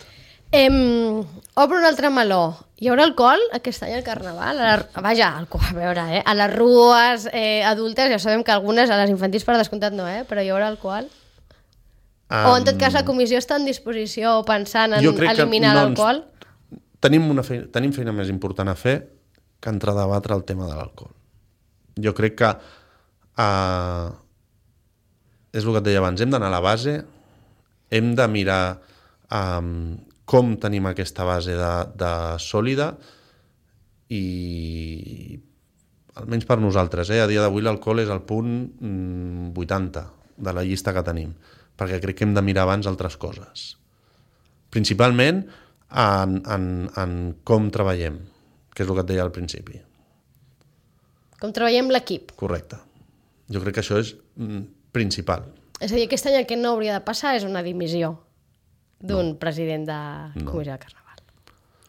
Em, obro un altre meló. Hi haurà alcohol aquest any al carnaval? A la, vaja, alcohol, a veure, eh? A les rues eh, adultes, ja sabem que algunes, a les infantils per descomptat no, eh? Però hi haurà alcohol? Um, o en tot cas la comissió està en disposició pensant en eliminar no l'alcohol? tenim, una feina, tenim feina més important a fer que entrar a debatre el tema de l'alcohol. Jo crec que uh, és el que et deia abans, hem d'anar a la base, hem de mirar um, com tenim aquesta base de, de sòlida i almenys per nosaltres, eh? A dia d'avui l'alcohol és el punt mm, vuitanta de la llista que tenim, perquè crec que hem de mirar abans altres coses. Principalment en, en, en com treballem, que és el que et deia al principi. Com treballem l'equip. Correcte. Jo crec que això és mm, principal. És a dir, aquest any el que no hauria de passar és una dimissió d'un no. president de no. comissió de carnaval.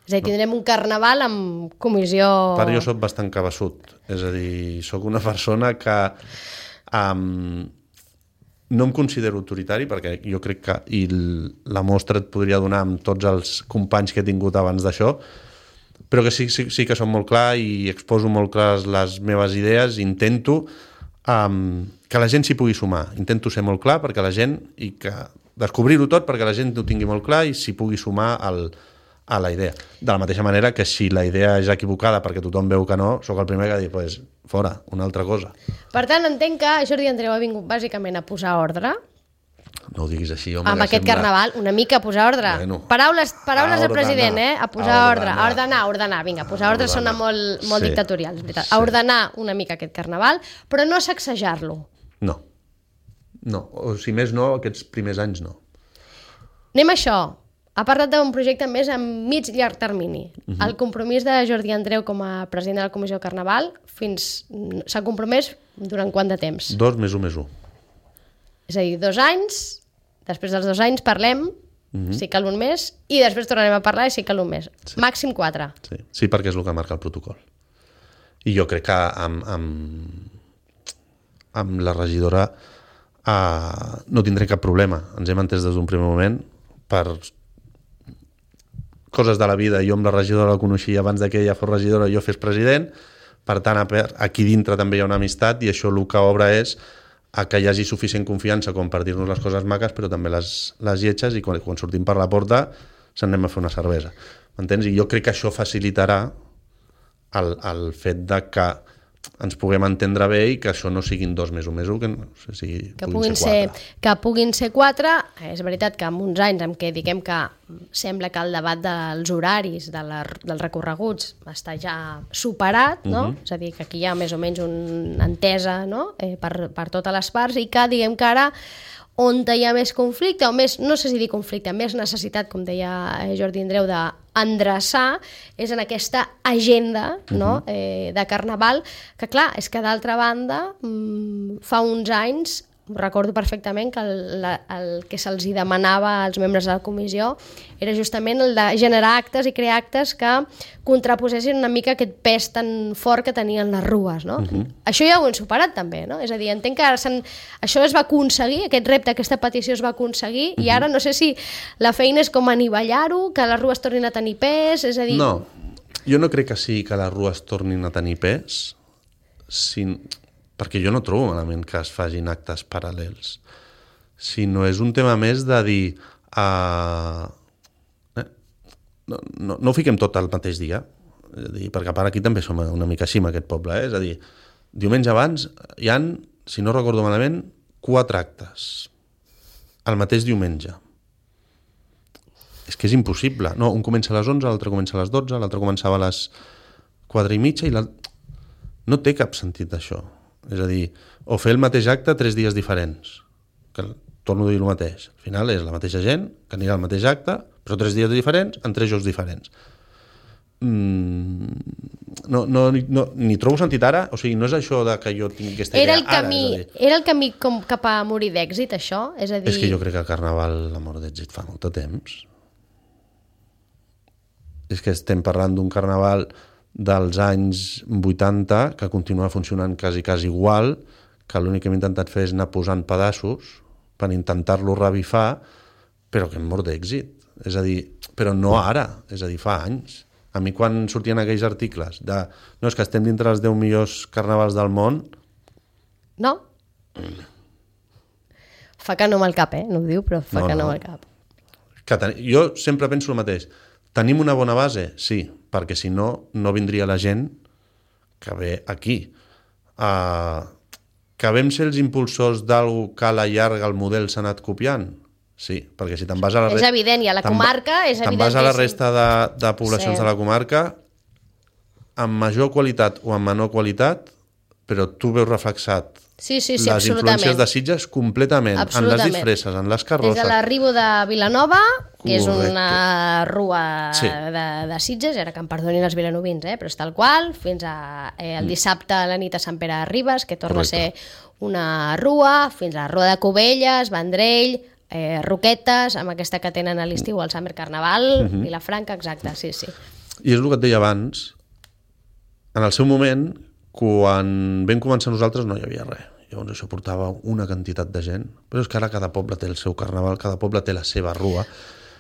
És a dir, tindrem un carnaval amb comissió... Per jo soc bastant cabeçut. És a dir, soc una persona que um, no em considero autoritari, perquè jo crec que, i la mostra et podria donar amb tots els companys que he tingut abans d'això, però que sí, sí, sí que som molt clar i exposo molt clares les meves idees, intento um, que la gent s'hi pugui sumar. Intento ser molt clar perquè la gent, i que descobrir-ho tot perquè la gent ho tingui molt clar i s'hi pugui sumar al, a la idea. De la mateixa manera que si la idea és equivocada perquè tothom veu que no, sóc el primer que ha dit, pues, fora, una altra cosa. Per tant, entenc que Jordi Andreu ha vingut bàsicament a posar ordre. No ho diguis així, home. Amb aquest sembla... carnaval, una mica a posar ordre. Bueno, paraules paraules del president, eh? A posar a ordre, a ordenar, a ordenar. Vinga, posar a ordre sona molt, molt sí, dictatorial, és veritat. Sí. A ordenar una mica aquest carnaval, però no sacsejar-lo. No. No, o si més no, aquests primers anys no. Anem a això. Ha parlat d'un projecte més a mig i llarg termini. Uh-huh. El compromís de Jordi Andreu com a president de la Comissió de Carnaval fins s'ha compromès durant quant de temps? Dos més un més un. És a dir, dos anys, després dels dos anys parlem, uh-huh. si cal un mes, i després tornarem a parlar i si cal un mes. Sí. Màxim quatre. Sí. sí, perquè és el que marca el protocol. I jo crec que amb, amb, amb la regidora uh, no tindré cap problema. Ens hem entès des d'un primer moment per coses de la vida. Jo amb la regidora la coneixia abans que ella fos regidora i jo fes president. Per tant, aquí dintre també hi ha una amistat i això el que obre és a que hi hagi suficient confiança com per dir-nos les coses maques, però també les, les lletges, i quan, quan sortim per la porta se'n anem a fer una cervesa. M'entens? I jo crec que això facilitarà el, el fet de que ens puguem entendre bé i que això no siguin dos més un més un, que, no sé, sigui, que puguin puguin ser quatre. Ser, que puguin ser quatre. És veritat que en uns anys en què diguem que sembla que el debat dels horaris, de la, dels recorreguts, està ja superat, no? Uh-huh. És a dir, que aquí hi ha més o menys una entesa, no? eh, per, per totes les parts, i que diguem que ara on hi ha més conflicte, o més, no sé si dir conflicte, més necessitat, com deia Jordi Andreu, d'endreçar, és en aquesta agenda, no? uh-huh. eh, de carnaval, que clar, és que d'altra banda, mmm, fa uns anys, recordo perfectament que el, la, el que se'ls demanava als membres de la comissió era justament el de generar actes i crear actes que contraposessin una mica aquest pes tan fort que tenien les rues, no? Uh-huh. Això ja ho hem superat també, no? És a dir, entenc que això es va aconseguir, aquest repte, aquesta petició es va aconseguir, uh-huh. i ara no sé si la feina és com anivellar-ho, que les rues tornin a tenir pes, és a dir... No, jo no crec que sí que les rues tornin a tenir pes, sin... perquè jo no trobo malament que es facin actes paral·lels, sinó és un tema més de dir uh, eh, no, no, no ho fiquem tot al mateix dia, és a dir, perquè a part aquí també som una mica així amb aquest poble, eh? És a dir, diumenge abans hi han, si no recordo malament, quatre actes el mateix diumenge. És que és impossible, no, un comença a les onze, l'altre comença a les dotze, l'altre començava a les quatre i mitja i l'altre... no té cap sentit això. És a dir, o fer el mateix acte tres dies diferents, que torno a dir el mateix. Al final és la mateixa gent que anirà al mateix acte, però tres dies diferents en tres jocs diferents. Mm, no, no, no, ni trobo sentit ara, o sigui, no és això de que jo tingui aquesta idea era el camí, ara. Dir, era el camí com cap a morir d'èxit, això? És a dir... És que jo crec que el Carnaval la mort d'èxit fa molt de temps. És que estem parlant d'un Carnaval dels anys vuitanta, que continua funcionant quasi, quasi igual, que l'únic que hem intentat fer és anar posant pedaços per intentar-lo revifar, però que hem mort d'èxit. És a dir, però no ara, és a dir, fa anys. A mi quan sortien aquells articles de no, és que estem dintre els deu millors carnavals del món... No. Mm. Fa que no amb el cap, eh? No ho diu, però fa no, que no amb el cap. Que ten... Jo sempre penso el mateix. Tenim una bona base? Sí, perquè si no, no vindria la gent que ve aquí. Uh, que vam ser els impulsors d'algú que a la llarga el model s'ha anat copiant? Sí, perquè si te'n vas a la resta... És evident, i a la comarca és evident. Te'n vas a la resta de, de poblacions sí. de la comarca amb major qualitat o amb menor qualitat, però tu veus reflexat sí, sí, sí, les influències de Sitges completament, en les disfresses, en les carrosses. Des de l'arribo de Vilanova, que és una rua sí. de, de Sitges, ara que em perdonin els vilanovins, eh, però és tal qual, fins a, eh, el dissabte a la nit a Sant Pere de Ribes, que torna Correcte. a ser una rua, fins a la Rua de Cubelles, Vendrell, eh, Roquetes, amb aquesta que tenen a l'estiu, el Summer Carnaval, uh-huh. Vilafranca, exacte, sí, sí. I és el que et deia abans, en el seu moment, quan vam començar nosaltres no hi havia res. Llavors això portava una quantitat de gent. Però és que ara cada poble té el seu carnaval, cada poble té la seva rua.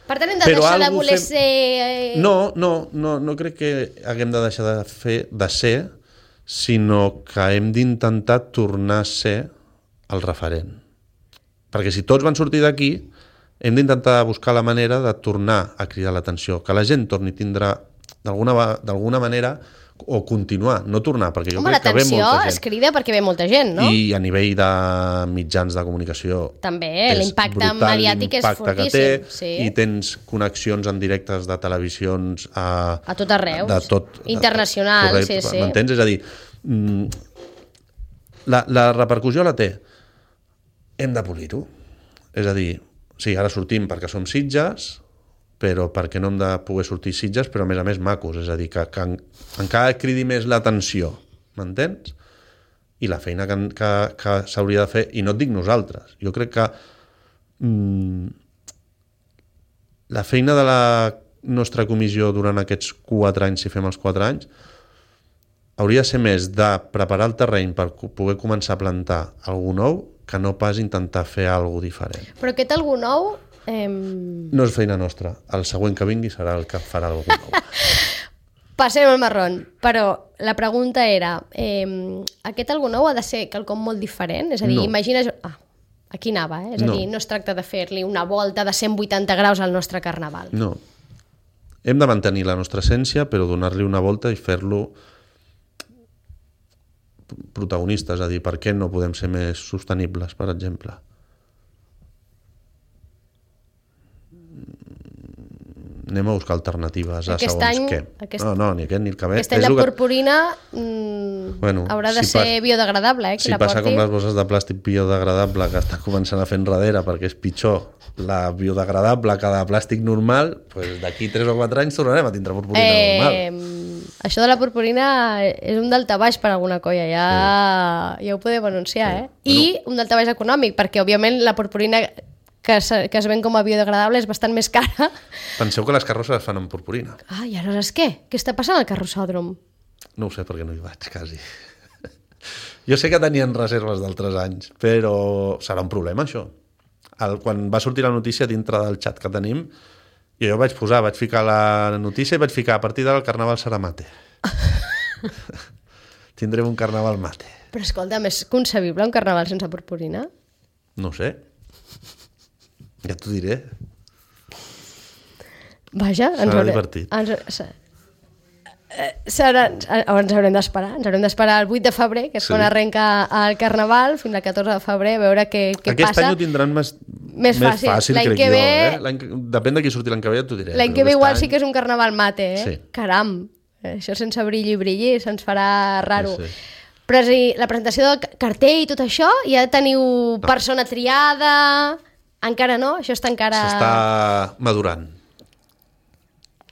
Per tant, hem de Però deixar de voler fem... ser... No, no, no, no crec que haguem de deixar de fer de ser, sinó que hem d'intentar tornar a ser el referent. Perquè si tots van sortir d'aquí, hem d'intentar buscar la manera de tornar a cridar l'atenció, que la gent torni a tindre d'alguna manera o continuar, no tornar, perquè jo Home, crec que ve molta gent. L'atenció es crida perquè ve molta gent, no? I a nivell de mitjans de comunicació també, l'impacte mediàtic és fortíssim. Que té, sí. I tens connexions en directes de televisions a, a tot arreu, de tot, internacional, correcte, sí, sí. M'entens? És a dir, la, la repercussió la té. Hem de polir-ho. És a dir, sí, ara sortim perquè som Sitges, però perquè no hem de poder sortir Sitges, però a més a més macos, és a dir, que, que encara cridi més l'atenció, m'entens? I la feina que, que, que s'hauria de fer, i no et dic nosaltres, jo crec que mmm, la feina de la nostra comissió durant aquests quatre anys, si fem els quatre anys, hauria de ser més de preparar el terreny per poder començar a plantar algú nou, que no pas intentar fer alguna diferent. Però aquest algú nou... Eh... No és feina nostra. El següent que vingui serà el que farà algú nou. Passem al marrón. Però la pregunta era, eh, aquest algú nou ha de ser quelcom molt diferent? És a dir, no. imagina... Ah, aquí anava, eh? És a no. dir, no es tracta de fer-li una volta de cent vuitanta graus al nostre carnaval. No. Hem de mantenir la nostra essència, però donar-li una volta i fer-lo protagonistes. És a dir, per què no podem ser més sostenibles, per exemple? Anem a buscar alternatives a aquest segons any, què. Aquest... No, no, ni aquest ni el que ve. Aquest any la purpurina mmm, bueno, haurà de si ser pas... biodegradable, eh? Si passa porti... com les bosses de plàstic biodegradable que està començant a fer enrere perquè és pitjor la biodegradable que la plàstic normal, pues d'aquí tres o quatre anys tornarem a tindre purpurina eh, normal. Això de la purpurina és un daltabaix per alguna colla, ja, sí. ja ho podem anunciar, sí. eh? I bueno. Un daltabaix econòmic, perquè òbviament la purpurina... Que es, que es ven com a biodegradable és bastant més cara. Penseu que les carrosses es fan amb purpurina. Ah, i aleshores què? Què està passant al carrossòdrom? No ho sé perquè no hi vaig, quasi. Jo sé que tenien reserves d'altres anys, però serà un problema, això. El, quan va sortir la notícia dintre del xat que tenim, jo vaig posar, vaig ficar la notícia i vaig ficar a partir d'ara el carnaval serà mate. Tindrem un carnaval mate. Però escolta, és concebible un carnaval sense purpurina? No ho sé. Ja t'ho diré. Vaja, ens serà haurem, divertit. Ens, serà, ens haurem d'esperar. Ens haurem d'esperar el vuit de febrer, que és sí. quan arrenca el Carnaval, fins al catorze de febrer, a veure què, què Aquest passa. Aquest any ho tindran més, més fàcil, més fàcil l'any crec que jo. Ve... Eh? Depèn de qui surti l'any que ve, ja t'ho diré. L'any que ve igual any... sí que és un Carnaval mate, eh? Sí. Caram, això sense brilli i brilli se'ns farà raro. Sí, sí. Però si la presentació del cartell i tot això, ja teniu no. persona triada... Encara no? Això està encara... S'està madurant.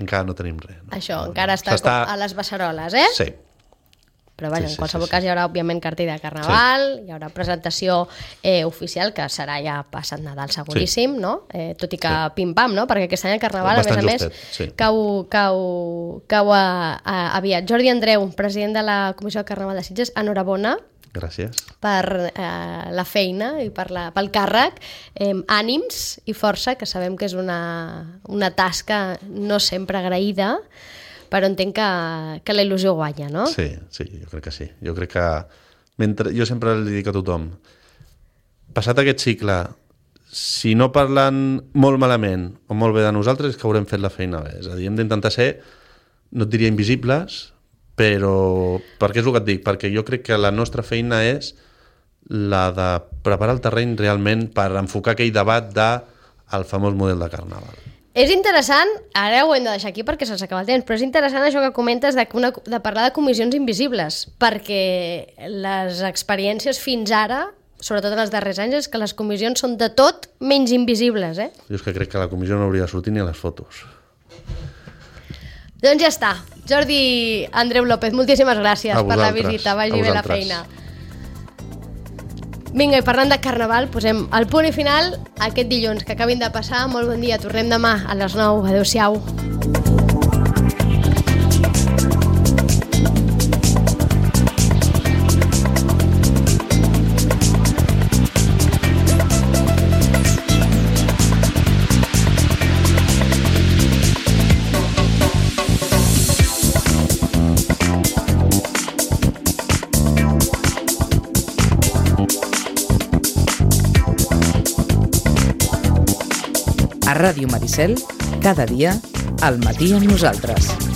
Encara no tenim res. No? Això, encara està, està a les beceroles, eh? Sí. Però vaja, sí, sí, en qualsevol sí, cas sí. hi haurà, òbviament, cartell de Carnaval, sí. hi haurà presentació eh, oficial, que serà ja passat Nadal seguríssim, sí. no? Eh, tot i que sí. pim-pam, no? Perquè aquest any el Carnaval, bastant a més justet, a més, sí. cau, cau, cau a, a, aviat. Jordi Andreu, president de la Comissió del Carnaval de Sitges, enhorabona. Gràcies. Per eh, la feina i per la, pel càrrec, eh, ànims i força, que sabem que és una, una tasca no sempre agraïda, però entenc que, que la il·lusió guanya, no? Sí, sí, jo crec que sí. Jo crec que, mentre, jo sempre li dic a tothom, passat aquest cicle, si no parlen molt malament o molt bé de nosaltres és que haurem fet la feina bé. És a dir, hem d'intentar ser, no et diria invisibles, però perquè és el que et dic, perquè jo crec que la nostra feina és la de preparar el terreny realment per enfocar aquell debat del famós model de carnaval. És interessant, ara ho hem de deixar aquí perquè se'ns acaba el temps, però és interessant això que comentes de, una, de parlar de comissions invisibles, perquè les experiències fins ara, sobretot en els darrers anys, és que les comissions són de tot menys invisibles. Eh? Jo és que crec que la comissió no hauria de sortir ni a les fotos. Doncs ja està. Jordi Andreu López, moltíssimes gràcies per la visita, vagi bé la feina. Vinga, i parlant de Carnaval, posem el punt i final aquest dilluns que acabin de passar. Molt bon dia, tornem demà a les nou. Adéu-siau. A Ràdio Maricel, cada dia, al matí amb nosaltres.